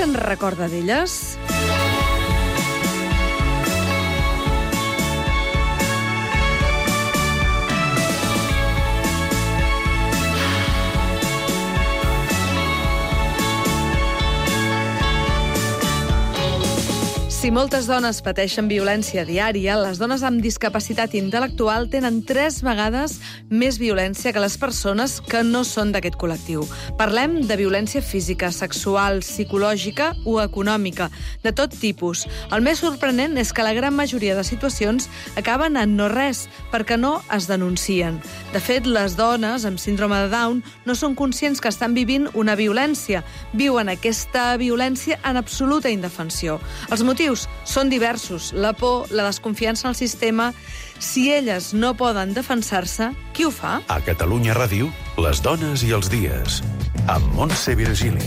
se'n recorda d'elles? Si moltes dones pateixen violència diària, les dones amb discapacitat intel·lectual tenen 3 vegades més violència que les persones que no són d'aquest col·lectiu. Parlem de violència física, sexual, psicològica o econòmica, de tot tipus. El més sorprenent és que la gran majoria de situacions acaben en no res, perquè no es denuncien. De fet, les dones amb síndrome de Down no són conscients que estan vivint una violència. Viuen aquesta violència en absoluta indefensió. Els motius són diversos. La por, la desconfiança en el sistema. Si elles no poden defensar-se, qui ho fa? A Catalunya Ràdio, les dones i els dies. Amb Montse Virgili.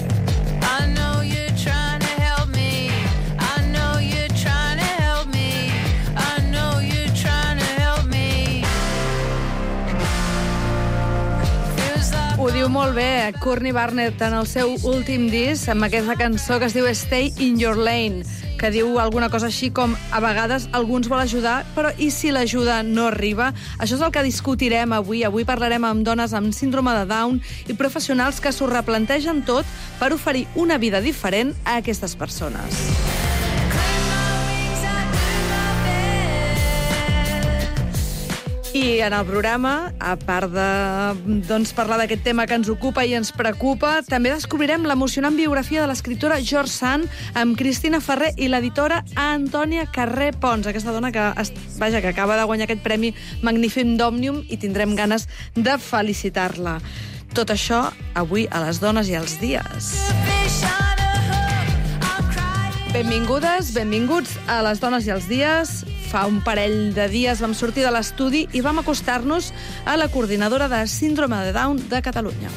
Ho diu molt bé Courtney Barnett en el seu últim disc, amb aquesta cançó que es diu Stay in Your Lane, que diu alguna cosa així com a vegades alguns vol ajudar, però i si l'ajuda no arriba? Això és el que discutirem avui. Avui parlarem amb dones amb síndrome de Down i professionals que s'ho replantegen tot per oferir una vida diferent a aquestes persones. I en el programa, a part de parlar d'aquest tema que ens ocupa i ens preocupa, també descobrirem l'emocionant biografia de l'escriptora George Sand amb Cristina Ferrer i l'editora Antònia Carré Pons, aquesta dona que acaba de guanyar aquest premi Magnífic d'Òmnium i tindrem ganes de felicitar-la. Tot això avui a les dones i els dies. Benvingudes, benvinguts a les dones i els dies. Fa un parell de dies vam sortir de l'estudi i vam acostar-nos a la coordinadora de síndrome de Down de Catalunya.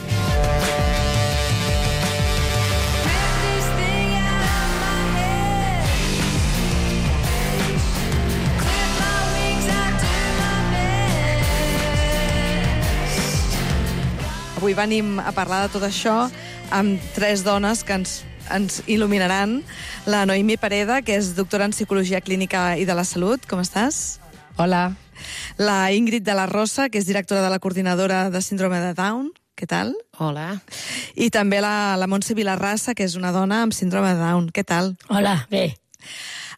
Avui venim a parlar de tot això amb 3 dones que ens il·luminaran. La Noemí Pereda, que és doctora en Psicologia Clínica i de la Salut. Com estàs? Hola. La Ingrid de la Rosa, que és directora de la coordinadora de síndrome de Down. Què tal? Hola. I també la Montse Vilarrasa, que és una dona amb síndrome de Down. Què tal? Hola, bé.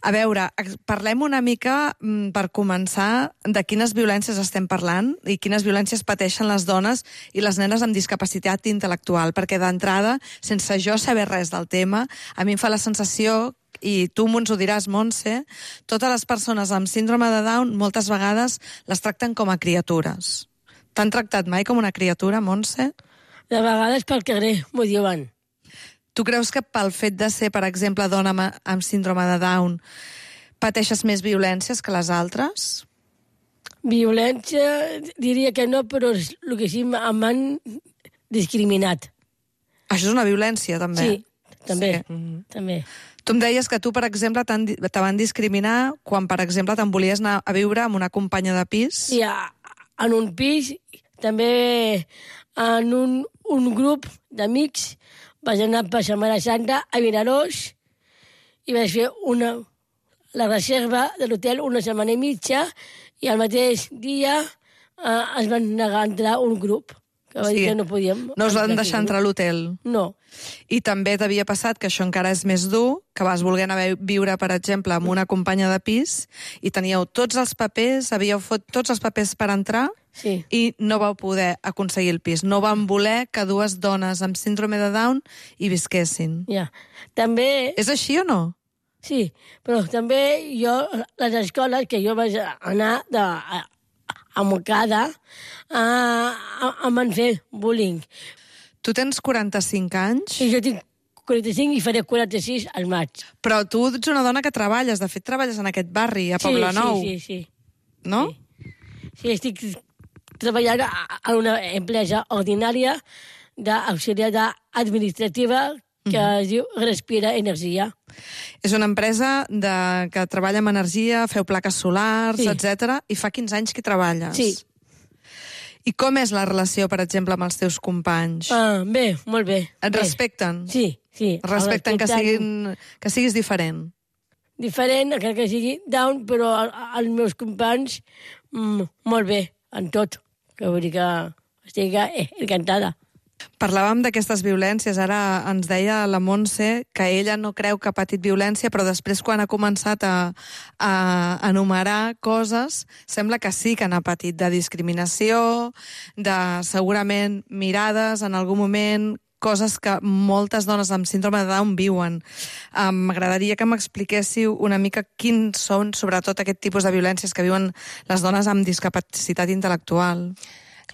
A veure, parlem una mica, per començar, de quines violències estem parlant i quines violències pateixen les dones i les nenes amb discapacitat intel·lectual, perquè d'entrada, sense jo saber res del tema, a mi em fa la sensació, i tu ens ho diràs, Montse, totes les persones amb síndrome de Down moltes vegades les tracten com a criatures. T'han tractat mai com una criatura, Montse? De vegades pel carrer m'ho diuen. Tu creus que pel fet de ser, per exemple, dona amb síndrome de Down, pateixes més violències que les altres? Violència, diria que no, però és el que sí m'han discriminat. Això és una violència, també? Sí, també. Sí. També. Tu em deies que tu, per exemple, te van discriminar quan, per exemple, te'n volies anar a viure amb una companya de pis? Sí, en un pis, també en un grup d'amics. Vaig anar per Setmana Santa a Vinaròs i vaig fer la reserva de l'hotel una setmana i mitja i al mateix dia es van negar a entrar un grup que va dir que no podíem. No us van deixar entrar a l'hotel? No. I també t'havia passat, que això encara és més dur, que vas voler anar a viure, per exemple, amb una companya de pis i teníeu tots els papers, havíeu fet tots els papers per entrar. Sí. I no vau poder aconseguir el pis. No van voler que 2 dones amb síndrome de Down hi visquessin. Ja. També... És així o no? Sí, però també jo, les escoles que jo vaig anar a Montcada, em van fer bullying. Tu tens 45 anys? I jo tinc 45 i faré 46 al maig. Però tu ets una dona que treballes. De fet, treballes en aquest barri, a Poblenou. Sí. No? Sí, estic treballant a una empresa ordinària d'auxiliar administrativa que es diu Respira Energia. És una empresa que treballa amb energia, feu plaques solars, Sí. etc. I fa 15 anys que treballes. Sí. I com és la relació, per exemple, amb els teus companys? Bé, molt bé. Et respecten? Sí. Respecten que siguis diferent? Diferent, encara que sigui down, però els meus companys, molt bé, en tot. Que vull dir que estic encantada. Parlàvem d'aquestes violències. Ara ens deia la Montse que ella no creu que ha patit violència, però després, quan ha començat a enumerar coses, sembla que sí que n'ha patit, de discriminació, de segurament mirades en algun moment, coses que moltes dones amb síndrome de Down viuen. M'agradaria que m'expliquéssiu una mica quins són, sobretot, aquest tipus de violències que viuen les dones amb discapacitat intel·lectual.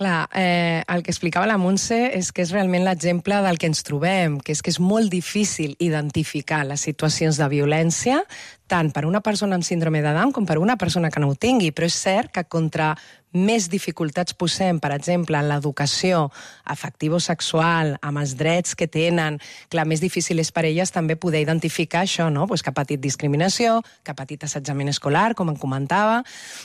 Clar, el que explicava la Montse és que és realment l'exemple del que ens trobem, que és molt difícil identificar les situacions de violència, tant per una persona amb síndrome de Down com per una persona que no ho tingui, però és cert que contra més dificultats posem, per exemple, en l'educació afectivo-sexual, amb els drets que tenen, clar, més difícil és per elles també poder identificar això, no? Pues que ha patit discriminació, que ha patit assetjament escolar, com en comentava.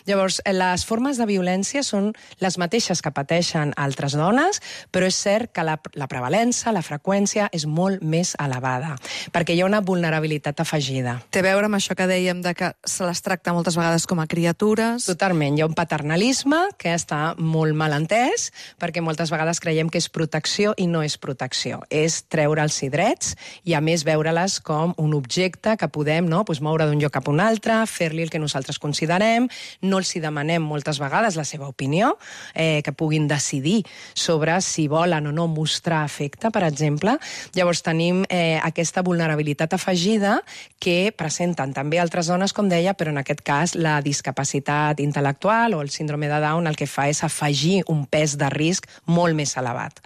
Llavors, les formes de violència són les mateixes que pateixen altres dones, però és cert que la prevalença, la freqüència és molt més elevada, perquè hi ha una vulnerabilitat afegida. Té a veure amb això que dèiem de que se les tracta moltes vegades com a criatures. Totalment, hi ha un paternalisme que està molt mal entès, perquè moltes vegades creiem que és protecció i no és protecció. És treure'ls drets i, a més, veure-les com un objecte que podem moure d'un lloc cap a un altre, fer-li el que nosaltres considerem, no els hi demanem moltes vegades la seva opinió, que puguin decidir sobre si volen o no mostrar afecte, per exemple. Llavors tenim aquesta vulnerabilitat afegida que presenten també altres dones, com deia, però en aquest cas la discapacitat intel·lectual o el síndrome de Down el que fa és afegir un pes de risc molt més elevat.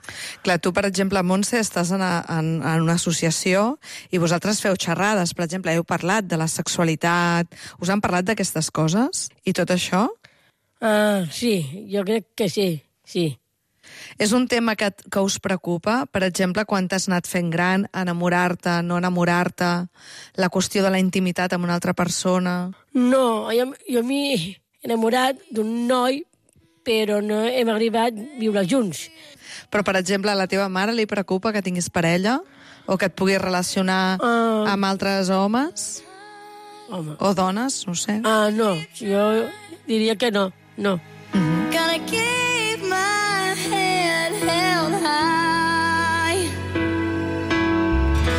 Clar, tu, per exemple, Montse, estàs en una associació i vosaltres feu xerrades, per exemple, heu parlat de la sexualitat, us han parlat d'aquestes coses i tot això? Sí, jo crec que sí. És un tema que us preocupa? Per exemple, quan t'has anat fent gran, enamorar-te, no enamorar-te, la qüestió de la intimitat amb una altra persona? No, jo m'he enamorat d'un noi, però no hem arribat a viure junts. Però, per exemple, a la teva mare li preocupa que tinguis parella? O que et puguis relacionar amb altres homes? Home. O dones, no sé. No, jo diria que no. Gonna keep my head held high.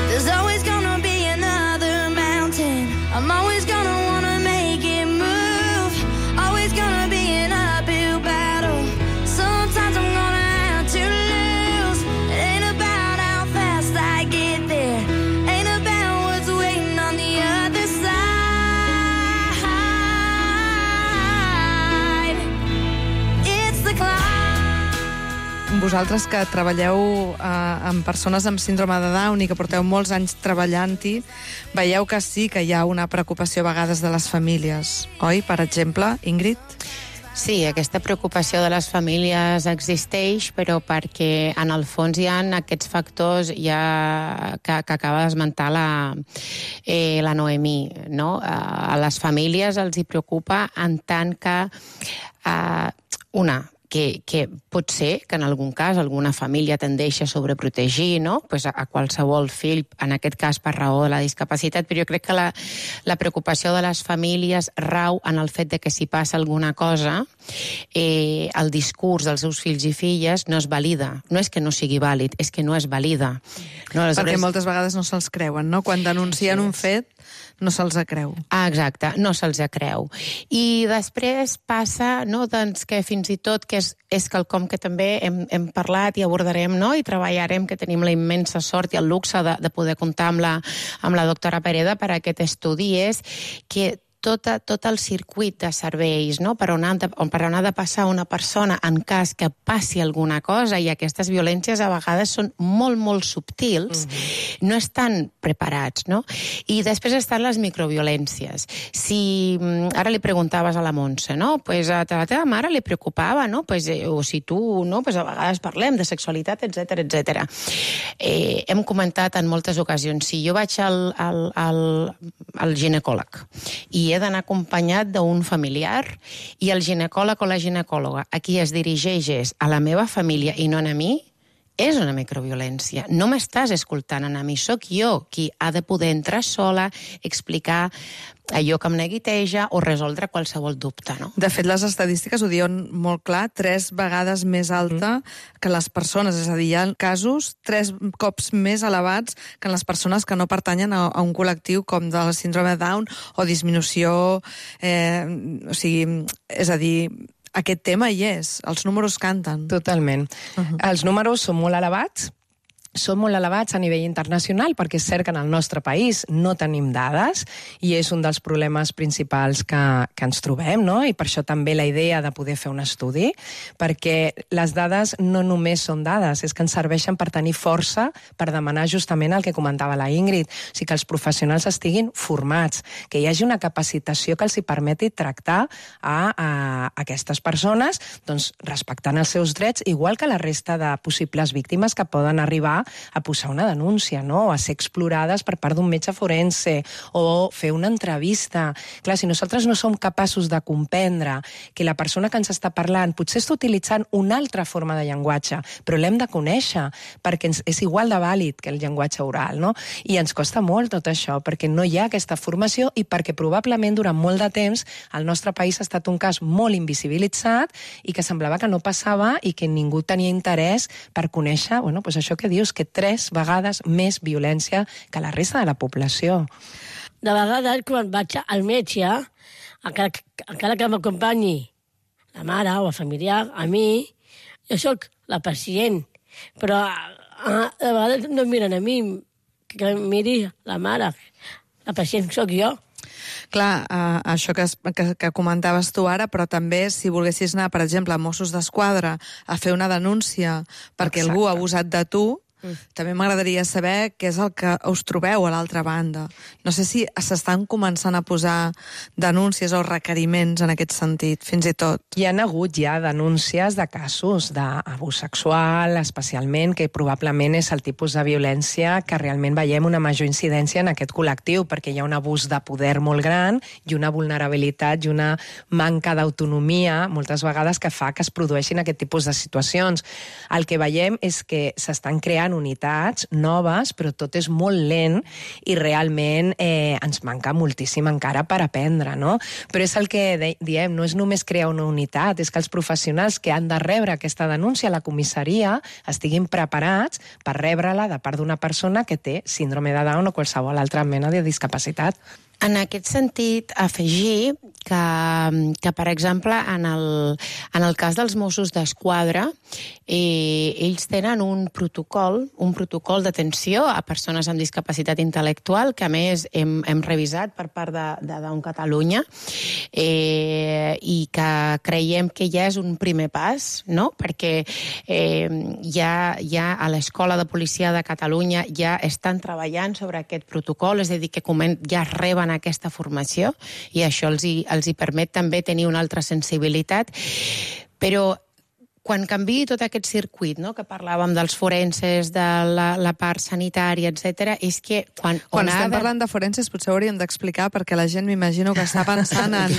There's always gonna be another mountain. I'm always gonna wanna make it move. Always gonna be an uphill battle. Sometimes I'm gonna have to lose. It ain't about how fast I get there. Ain't about what's waiting on the other side. It's the climb. Vosaltres que treballeu amb persones amb síndrome de Down i que porteu molts anys treballant-hi, veieu que sí que hi ha una preocupació a vegades de les famílies, oi? Per exemple, Ingrid? Sí, aquesta preocupació de les famílies existeix, però perquè en el fons hi ha aquests factors que acaba d'esmentar la Noemí, no? A les famílies els hi preocupa en tant que que pot ser que en algun cas alguna família tendeixi a sobreprotegir, no? Pues a qualsevol fill, en aquest cas per raó de la discapacitat, però jo crec que la preocupació de les famílies rau en el fet de que si passa alguna cosa, el discurs dels seus fills i filles no es valida. No és que no sigui vàlid, és que no es valida. No, perquè moltes vegades no se'ls creuen, no? Quan denuncien un fet, no se'ls creu. Exacte, no se'ls creu. I després passa, no, doncs, que fins i tot que és quelcom que també hem parlat i abordarem, no, i treballarem, que tenim la immensa sort i el luxe de poder comptar amb la doctora Pereda per a aquest estudi, és que tot el circuit de serveis, no? Per on ha de passar una persona en cas que passi alguna cosa, i aquestes violències a vegades són molt, molt subtils, no estan preparats, no? I després estan les microviolències. Si ara li preguntaves a la Montse, no? Pues a la teva mare li preocupava, no? Pues, o si tu, no? Pues a vegades parlem de sexualitat, etc. Hem comentat en moltes ocasions, si jo vaig al ginecòleg i i he d'anar acompanyat d'un familiar, i el ginecòleg o la ginecòloga a qui es dirigeix és a la meva família i no a mi, és una microviolència. No m'estàs escoltant a mi, sóc jo qui ha de poder entrar sola, explicar allò que em neguiteja o resoldre qualsevol dubte, no? De fet, les estadístiques ho diuen molt clar, 3 vegades més alta que les persones, és a dir, hi ha casos 3 cops més elevats que en les persones que no pertanyen a un col·lectiu com de la síndrome de Down o disminució, o sigui, és a dir, aquest tema hi és, els números canten. Totalment. Els números són molt elevats, a nivell internacional, perquè és cert que en el nostre país no tenim dades i és un dels problemes principals que ens trobem, no? I per això també la idea de poder fer un estudi, perquè les dades no només són dades, és que ens serveixen per tenir força per demanar justament el que comentava la Ingrid, o sigui, que els professionals estiguin formats, que hi hagi una capacitació que els hi permeti tractar a aquestes persones, doncs, respectant els seus drets, igual que la resta de possibles víctimes que poden arribar a posar una denúncia, no? O a ser explorades per part d'un metge forense o fer una entrevista. Clar, si nosaltres no som capaços de comprendre que la persona que ens està parlant potser està utilitzant una altra forma de llenguatge, però l'hem de conèixer perquè és igual de vàlid que el llenguatge oral, no? I ens costa molt tot això perquè no hi ha aquesta formació i perquè probablement durant molt de temps el nostre país ha estat un cas molt invisibilitzat i que semblava que no passava i que ningú tenia interès per conèixer, bueno, doncs això que dius, que 3 vegades més violència que la resta de la població. De vegades, quan vaig al metge, encara que m'acompanyi la mare o el familiar, a mi, jo sóc la pacient, però de vegades no miren a mi, que miri la mare. La pacient sóc jo. Clar, això que comentaves tu ara, però també si volguessis anar, per exemple, a Mossos d'Esquadra a fer una denúncia perquè algú ha abusat de tu, també m'agradaria saber què és el que us trobeu a l'altra banda. No sé si s'estan començant a posar denúncies o requeriments en aquest sentit, fins i tot. Hi ha hagut ja denúncies de casos d'abús sexual, especialment, que probablement és el tipus de violència que realment veiem una major incidència en aquest col·lectiu, perquè hi ha un abús de poder molt gran i una vulnerabilitat i una manca d'autonomia, moltes vegades, que fa que es produeixin aquest tipus de situacions. El que veiem és que s'estan creant unitats noves, però tot és molt lent i realment ens manca moltíssim encara per aprendre, no? Però és el que diem, no és només crear una unitat, és que els professionals que han de rebre aquesta denúncia a la comissaria estiguin preparats per rebre-la de part d'una persona que té síndrome de Down o qualsevol altra mena de discapacitat. En aquest sentit, afegir que per exemple, en el cas dels Mossos d'Esquadra, ells tenen un protocol d'atenció a persones amb discapacitat intel·lectual, que a més hem revisat per part de Down Catalunya, i que creiem que ja és un primer pas, no? Perquè ja a l'Escola de Policia de Catalunya ja estan treballant sobre aquest protocol, és a dir, que ja reben aquesta formació i això els hi permet també tenir una altra sensibilitat, però quan canviï tot aquest circuit, no, que parlàvem dels forenses, de la part sanitària, etc., és que quan estem parlant de forenses potser hauríem d'explicar perquè la gent m'imagino que està pensant en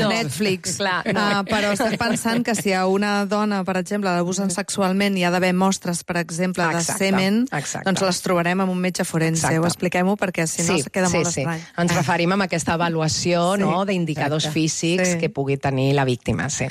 Netflix. Però estem pensant que si a una dona, per exemple, l'abusen sexualment i hi ha d'haver mostres, per exemple, de semen, doncs les trobarem amb un metge forense. Ho expliquem-ho perquè si no queda molt estrany. Ens referim a aquesta avaluació d'indicadors físics que pugui tenir la víctima. Sí.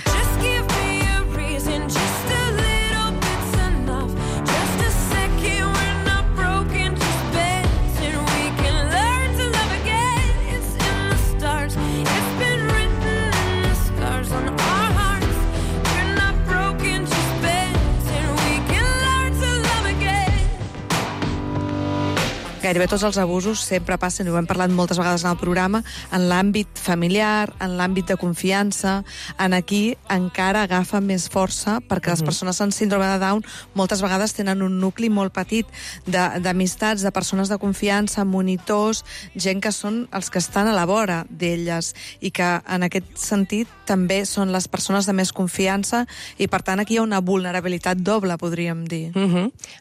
Gairebé tots els abusos sempre passen, i ho hem parlat moltes vegades en el programa, en l'àmbit familiar, en l'àmbit de confiança. En aquí encara agafa més força perquè les persones amb síndrome de Down moltes vegades tenen un nucli molt petit d'amistats, de persones de confiança, monitors, gent que són els que estan a la vora d'elles i que en aquest sentit també són les persones de més confiança i per tant aquí hi ha una vulnerabilitat doble, podríem dir.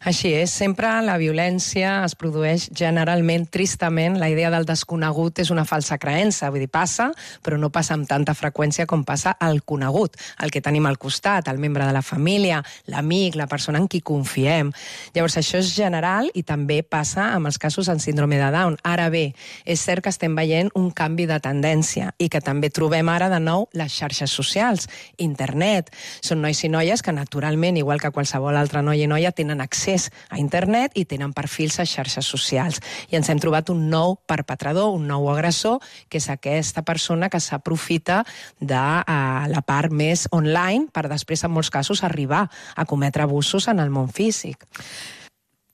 Així és, sempre la violència es produeix generalment, tristament, la idea del desconegut és una falsa creença. Vull dir, passa, però no passa amb tanta freqüència com passa el conegut, el que tenim al costat, el membre de la família, l'amic, la persona en qui confiem. Llavors, això és general i també passa amb els casos en síndrome de Down. Ara bé, és cert que estem veient un canvi de tendència i que també trobem ara de nou les xarxes socials, internet. Són nois i noies que naturalment, igual que qualsevol altra noi i noia, tenen accés a internet i tenen perfils a xarxes socials. I ens hem trobat un nou perpetrador, un nou agressor, que és aquesta persona que s'aprofita de la part més online per després, en molts casos, arribar a cometre abusos en el món físic.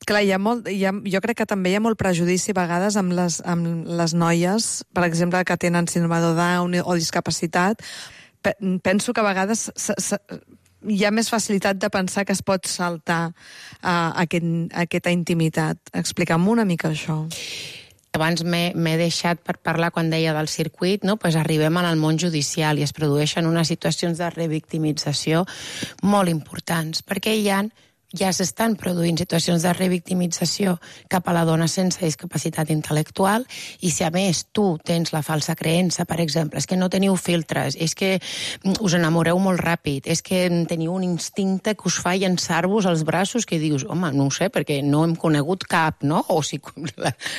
Clar, jo crec que també hi ha molt prejudici a vegades amb les noies, per exemple, que tenen síndrome de Down o discapacitat. Penso que a vegades hi ha més facilitat de pensar que es pot saltar aquesta intimitat. Explica'm una mica això. Abans m'he deixat per parlar quan deia del circuit, no? Pues arribem al món judicial i es produeixen unes situacions de revictimització molt importants, perquè ja s'estan produint situacions de revictimització cap a la dona sense discapacitat intel·lectual i si a més tu tens la falsa creença, per exemple, és que no teniu filtres, és que us enamoreu molt ràpid, és que teniu un instinte que us fa llançar-vos als braços que dius, home, no ho sé, perquè no hem conegut cap, no? O sigui,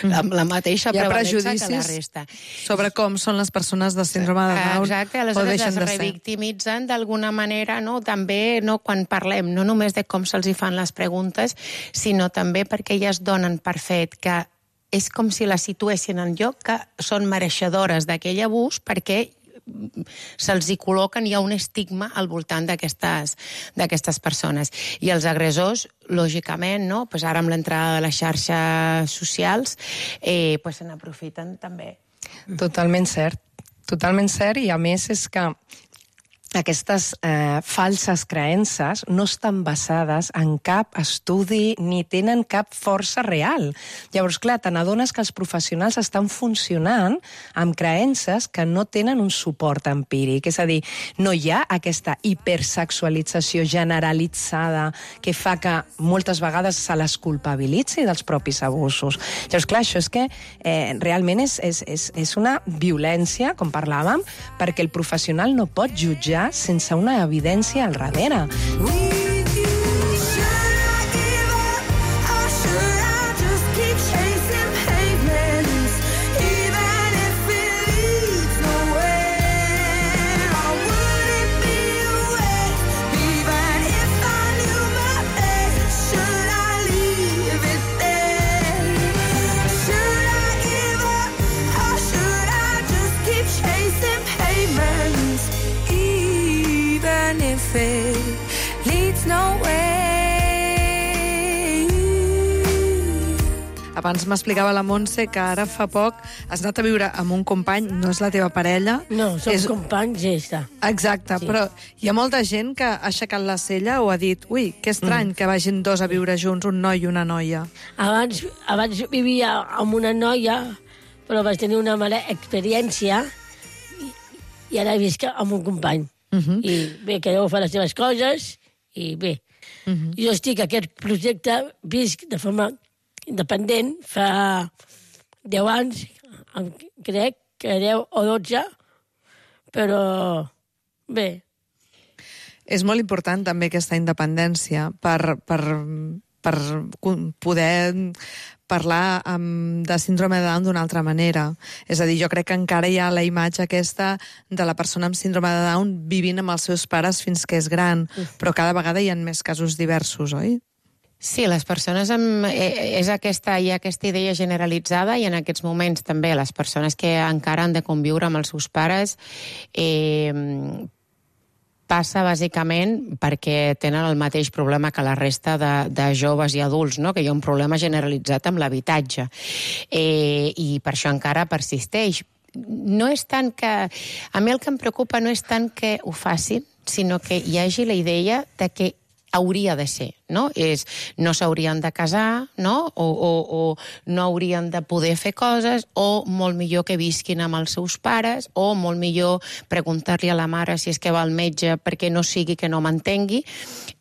la mateixa prevalença que la resta. Sobre com són les persones de síndrome de Down. Exacte, aleshores es revictimitzen d'alguna manera, no? També quan parlem, no només de com se'ls fan les preguntes, sinó també perquè elles donen per fet que és com si les situessin en lloc que són mereixedores d'aquell abús perquè se'ls hi col·loquen, hi ha un estigma al voltant d'aquestes persones. I els agressors, lògicament, no? Pues ara amb l'entrada de les xarxes socials, pues se n'aprofiten també. Totalment cert, i a més és que aquestes falses creences no estan basades en cap estudi ni tenen cap força real. Llavors, clar, te n'adones que els professionals estan funcionant amb creences que no tenen un suport empíric. És a dir, no hi ha aquesta hipersexualització generalitzada que fa que moltes vegades se les culpabilitzi dels propis abusos. Llavors, clar, això és que realment és una violència, com parlàvem, perquè el professional no pot jutjar sense una evidència al darrere. Abans m'explicava la Montse que ara fa poc has anat a viure amb un company, no és la teva parella. No, som companys i ja està. Exacte, sí. Però hi ha molta gent que ha aixecat la cella o ha dit ui, que estrany que vagin dos a viure junts, un noi i una noia. Abans vivia amb una noia, però vaig tenir una mala experiència i ara visc amb un company. I bé, que deu fer les seves coses i bé. Jo estic a aquest projecte, visc de forma independent, fa 10 anys, crec que 10 o 12, però bé. És molt important també aquesta independència per poder parlar de síndrome de Down d'una altra manera. És a dir, jo crec que encara hi ha la imatge aquesta de la persona amb síndrome de Down vivint amb els seus pares fins que és gran, però cada vegada hi ha més casos diversos, oi? Sí, les persones hi ha aquesta idea generalitzada i en aquests moments també les persones que encara han de conviure amb els seus pares passa bàsicament perquè tenen el mateix problema que la resta de joves i adults, no? Que hi ha un problema generalitzat amb l'habitatge i per això encara persisteix. No és tant que... A mi el que em preocupa no és tant que ho facin, sinó que hi hagi la idea de que hauria de ser, no? No s'haurien de casar, no? O no haurien de poder fer coses, o molt millor que visquin amb els seus pares, o molt millor preguntar-li a la mare si és que va al metge perquè no sigui que no m'entengui,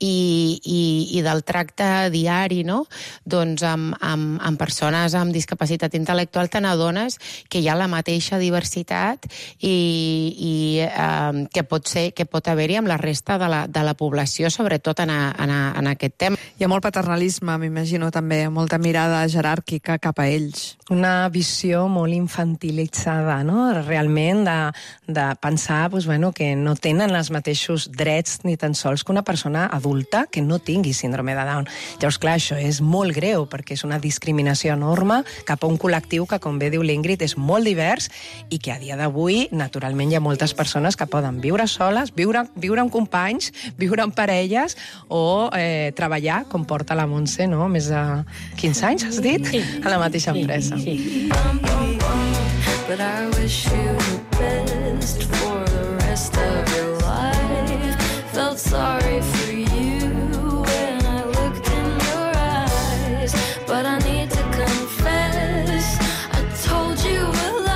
i del tracte diari, no? Doncs amb persones amb discapacitat intel·lectual te n'adones que hi ha la mateixa diversitat i que pot haver-hi amb la resta de la població, sobretot en aquest tema. Hi ha molt paternalisme, m'imagino, també, molta mirada jeràrquica cap a ells. Una visió molt infantilitzada, no? Realment, de pensar que no tenen els mateixos drets ni tan sols que una persona adulta que no tingui síndrome de Down. Llavors, clar, això és molt greu, perquè és una discriminació enorme cap a un col·lectiu que, com bé diu l'Ingrid, és molt divers i que a dia d'avui, naturalment, hi ha moltes persones que poden viure soles, viure amb companys, viure amb parelles o treballar, com porta la Montse, no? Més de 15 anys, has dit? A la mateixa empresa. Sí. But I wish you the best for the rest of your life. Felt sorry for you when I looked in your eyes, but I need to confess, I told you a lie.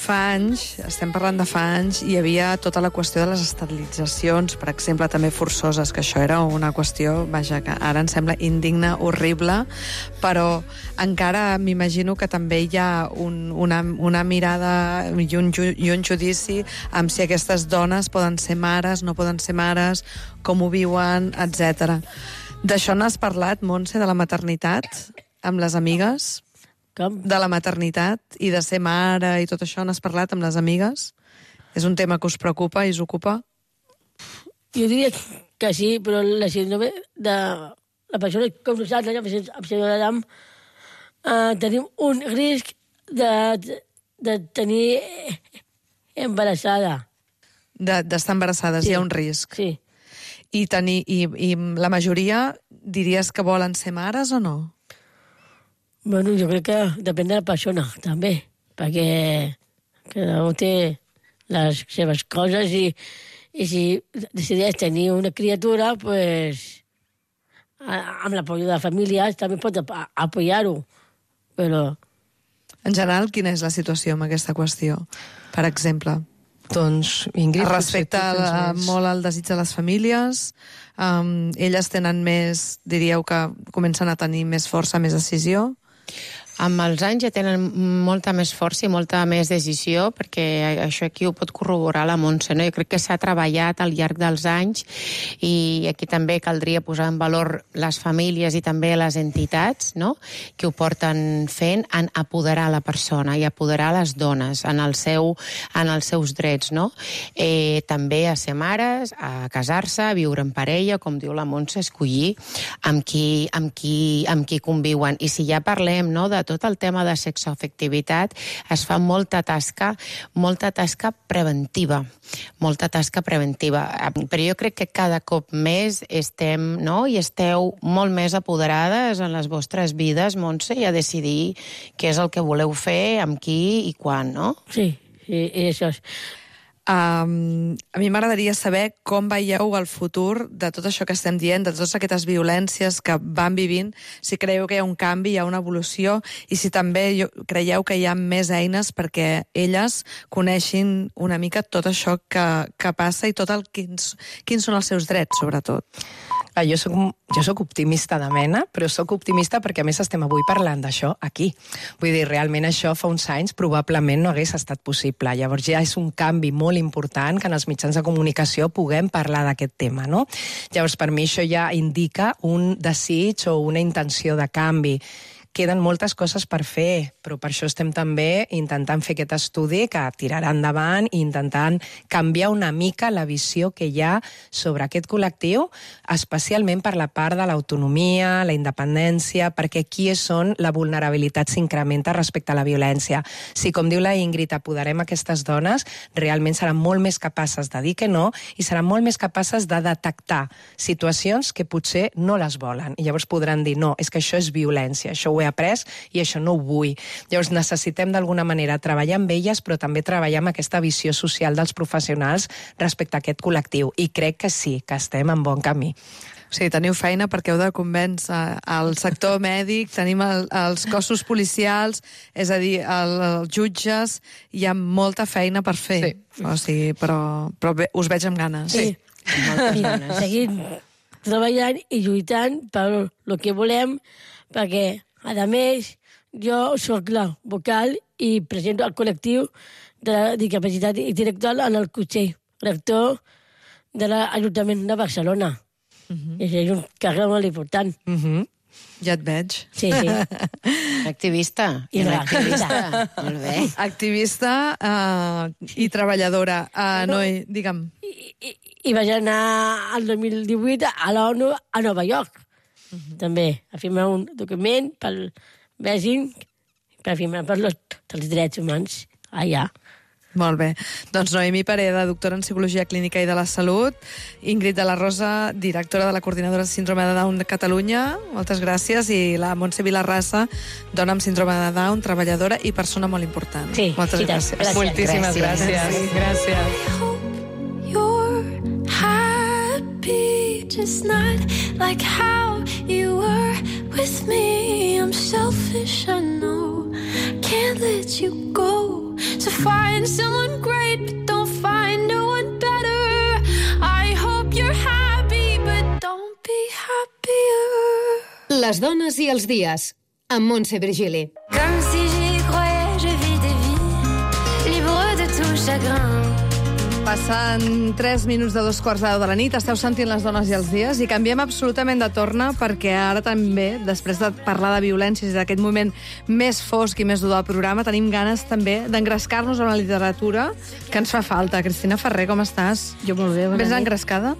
Fa anys, estem parlant de fa anys, hi havia tota la qüestió de les esterilitzacions, per exemple, també forçoses, que això era una qüestió, vaja, que ara ens sembla indigna, horrible, però encara m'imagino que també hi ha una mirada i un judici amb si aquestes dones poden ser mares, no poden ser mares, com ho viuen, etc. D'això n'has parlat, Montse, de la maternitat, amb les amigues? Com? De la maternitat i de ser mare i tot això, n'has parlat amb les amigues? És un tema que us preocupa i us ocupa? Jo diria que sí, però la síndrome de la persona com nosaltres, amb síndrome de Down, tenim un risc de tenir embarassada. D'estar embarassades, sí. Hi ha un risc. Sí. I la majoria diries que volen ser mares o no? Bueno, jo crec que depèn de la persona, també, perquè cada un té les seves coses i si decideix tenir una criatura, pues, amb l'apoyo de la família també pot apoyar-ho, però... En general, quina és la situació amb aquesta qüestió, per exemple? Doncs, Ingrid... Respecte molt al desig de les famílies, elles tenen més, diríeu que comencen a tenir més força, més decisió? Amb els anys ja tenen molta més força i molta més decisió, perquè això aquí ho pot corroborar la Montse, no? Jo crec que s'ha treballat al llarg dels anys i aquí també caldria posar en valor les famílies i també les entitats, no?, que ho porten fent en apoderar la persona i apoderar les dones en els seus drets, no? També a ser mares, a casar-se, a viure en parella, com diu la Montse, escollir amb qui conviuen. I si ja parlem, no?, de tot el tema de sexoafectivitat, es fa molta tasca preventiva. Però jo crec que cada cop més estem, no?, i esteu molt més apoderades en les vostres vides, Montse, i a decidir què és el que voleu fer, amb qui i quan, no? Sí, això és... A mi m'agradaria saber com veieu el futur de tot això que estem dient, de totes aquestes violències que van vivint, si creieu que hi ha un canvi, hi ha una evolució, i si també creieu que hi ha més eines perquè elles coneixin una mica tot això que passa i quins són els seus drets, sobretot. Jo soc optimista de mena, però soc optimista perquè a més estem avui parlant d'això aquí. Vull dir, realment això fa uns anys probablement no hagués estat possible. Llavors ja és un canvi molt important que en els mitjans de comunicació puguem parlar d'aquest tema, no? Llavors per mi això ja indica un desig o una intenció de canvi. Queden moltes coses per fer, però per això estem també intentant fer aquest estudi que tirarà endavant i intentant canviar una mica la visió que hi ha sobre aquest col·lectiu, especialment per la part de l'autonomia, la independència, perquè aquí és on la vulnerabilitat s'incrementa respecte a la violència. Si, com diu la Ingrid, apoderem aquestes dones, realment seran molt més capaces de dir que no i seran molt més capaces de detectar situacions que potser no les volen. I llavors podran dir, no, és que això és violència, això ho ho he après i això no ho vull. Llavors necessitem d'alguna manera treballar amb elles, però també treballar amb aquesta visió social dels professionals respecte a aquest col·lectiu. I crec que sí, que estem en bon camí. O sigui, teniu feina perquè heu de convèncer el sector mèdic, tenim els cossos policials, és a dir, els jutges, hi ha molta feina per fer. Sí. O sigui, però bé, us veig amb ganes. Sí. Seguim treballant i lluitant per el que volem, perquè, a més, jo sóc la vocal i presento el col·lectiu de la discapacitat intel·lectual en el Consell Rector de l'Ajuntament de Barcelona. I és un càrrec molt important. Ja et veig. Sí. Activista. I Era activista. Molt bé. Activista i treballadora. Noi, digue'm. I vaig anar al 2018 a l'ONU a Nova York. També a firmar un document pel Beijing per firmar per els drets humans allà. Molt bé. Doncs Noemí Pereda, doctora en Psicologia Clínica i de la Salut, Ingrid de la Rosa, directora de la Coordinadora de Síndrome de Down de Catalunya, moltes gràcies, i la Montse Vilarrasa, dona amb síndrome de Down, treballadora i persona molt important. Sí, moltes sí, gràcies. gràcies. Moltíssimes gràcies. Gràcies. You're happy, just not like how you were with me. I'm selfish, I know. Can't let you go. To find someone great, but don't find no one better. I hope you're happy, but don't be happier. Les dones i els dies, amb Montse Virgili. Comme si j'y croyais, je vis des vies libres de tout chagrin. Passen 3 minuts de 2:15 de la nit, esteu sentint les dones i els dies, i canviem absolutament de torna, perquè ara també, després de parlar de violències i d'aquest moment més fosc i més dur del programa, tenim ganes també d'engrescar-nos amb la literatura que ens fa falta. Cristina Ferrer, com estàs? Jo molt bé, bona Vés nit. engrescada?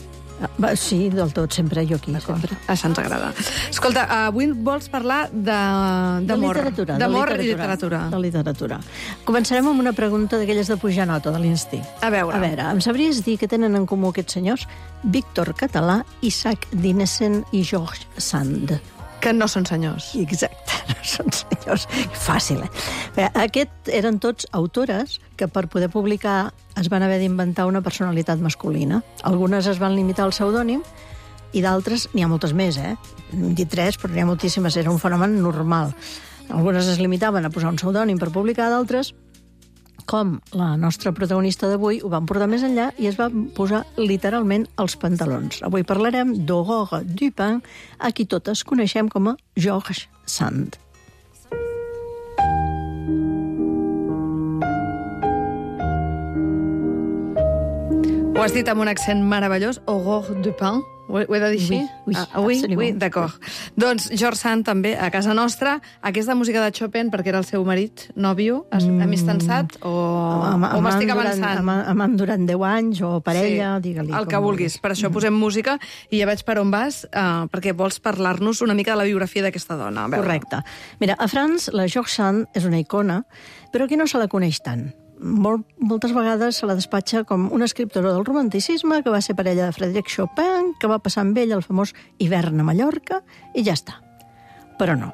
Sí, del tot, sempre, jo aquí, sempre. Això ens agrada. Escolta, avui vols parlar d'amor. literatura. D'amor i literatura. De literatura. Començarem amb una pregunta d'aquelles de pujar nota, de l'instint. A veure. Em sabries dir què tenen en comú aquests senyors? Víctor Català, Isaac Dinesen i George Sand. Que no són senyors. Exacte, no són senyors. Fàcil, eh? Aquests eren tots autores que per poder publicar es van haver d'inventar una personalitat masculina. Algunes es van limitar al pseudònim i d'altres, n'hi ha moltes més, Hem dit 3, però n'hi ha moltíssimes, era un fenomen normal. Algunes es limitaven a posar un pseudònim per publicar, d'altres, com la nostra protagonista d'avui, ho van portar més enllà i es van posar literalment els pantalons. Avui parlarem d'Aurore Dupin, a qui totes coneixem com a George Sand. Ho has dit amb un accent meravellós, Aurore Dupin. Ho he de dir així? Absolutament. D'acord. Doncs George Sand també, a casa nostra, aquesta música de Chopin, perquè era el seu marit, nòvio, amistançat, o m'estic avançant? Amant durant 10 anys, o parella, Sí, digue-li. el que vulguis. Per això posem música, i ja veig per on vas, perquè vols parlar-nos una mica de la biografia d'aquesta dona. A veure. Correcte. Mira, a França, la George Sand és una icona, però aquí no se la coneix tant. Moltes vegades se la despatxa com una escriptora del romanticisme que va ser parella de Frédéric Chopin, que va passar amb ell el famós hivern a Mallorca, i ja està. Però no.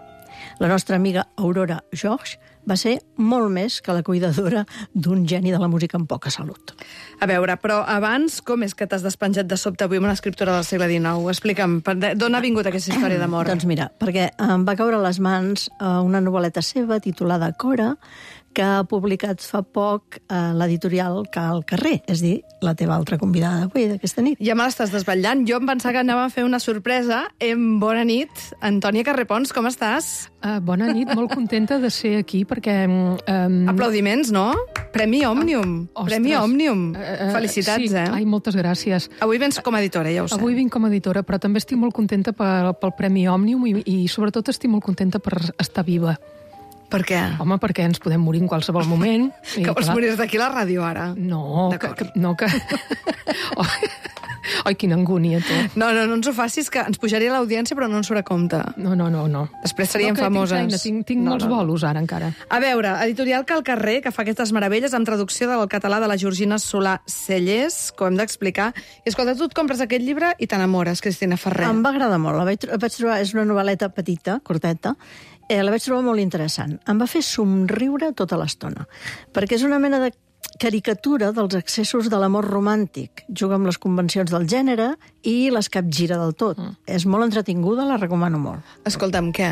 La nostra amiga Aurora George va ser molt més que la cuidadora d'un geni de la música amb poca salut. A veure, però abans, com és que t'has despenjat de sobte avui amb una escriptora del segle XIX? Explica'm, d'on ha vingut aquesta història d'amor? Doncs mira, perquè em va caure a les mans una novel·leta seva titulada Cora, que ha publicat fa poc l'editorial Cal Carrer, és a dir, la teva altra convidada d'avui, d'aquesta nit. Ja me l'estàs desvetllant. Jo em pensava que anàvem a fer una sorpresa. Bona nit. Antònia Carrepons, com estàs? Bona nit, molt contenta de ser aquí, perquè... Aplaudiments, no? Premi Òmnium. Premi Òmnium. Felicitats, sí, ai, moltes gràcies. Avui vens com a editora, ja ho sé. Avui vinc com a editora, però també estic molt contenta pel Premi Òmnium i sobretot estic molt contenta per estar viva. Per què? Home, perquè ens podem morir en qualsevol moment. Que vols morir d'aquí a la ràdio, ara? No, no que... Ai, quina angúnia, tu. No ens ho facis, que ens pujaria l'audiència, però no ens surt a compte. No. Després seríem famoses. Tinc molts bolos ara, encara. A veure, editorial Cal Carrer, que fa aquestes meravelles amb traducció del català de la Georgina Solà Cellers, que ho hem d'explicar. I escolta, tu et compres aquest llibre i t'enamores, Cristina Ferrer. Em va agradar molt. La vaig trobar, és una novel·leta petita, curteta, la vaig trobar molt interessant. Em va fer somriure tota l'estona, perquè és una mena de caricatura dels excessos de l'amor romàntic. Juga amb les convencions del gènere i les capgira del tot. És molt entretinguda, la recomano molt. Escolta'm, què?